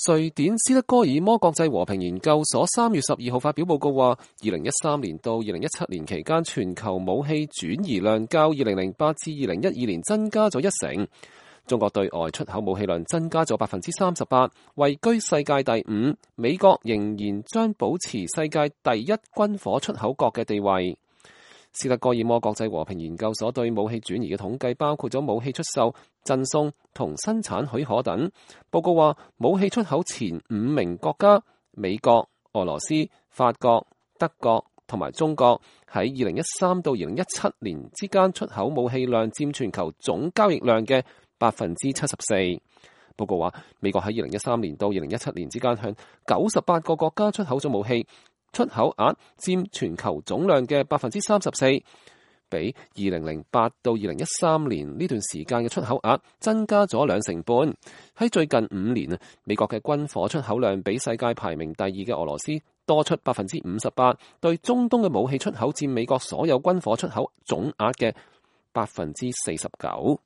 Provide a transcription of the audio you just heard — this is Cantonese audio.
瑞典斯德哥爾摩國際和平研究所3月12號發表報告話，2013年到2017年期間，全球武器轉移量較2008至2012年增加咗1成。中國對外出口武器量增加咗38%，位居世界第5。美國仍然將保持世界第一軍火出口國嘅地位。斯德哥爾摩國際和平研究所對武器轉移嘅統計包括咗武器出售、贈送同生產許可等。報告話，武器出口前5名國家美國、俄羅斯、法國、德國同埋中國喺2013到2017年之間出口武器量佔全球總交易量嘅74%。報告話，美國喺2013年到2017年之間向98個國家出口咗武器，出口額佔全球總量嘅34%，比2008到2013年呢段時間嘅出口額增加咗2成半。喺最近5年，美國嘅軍火出口量比世界排名第2嘅俄羅斯多出58%，對中東嘅武器出口佔美國所有軍火出口總額嘅49%。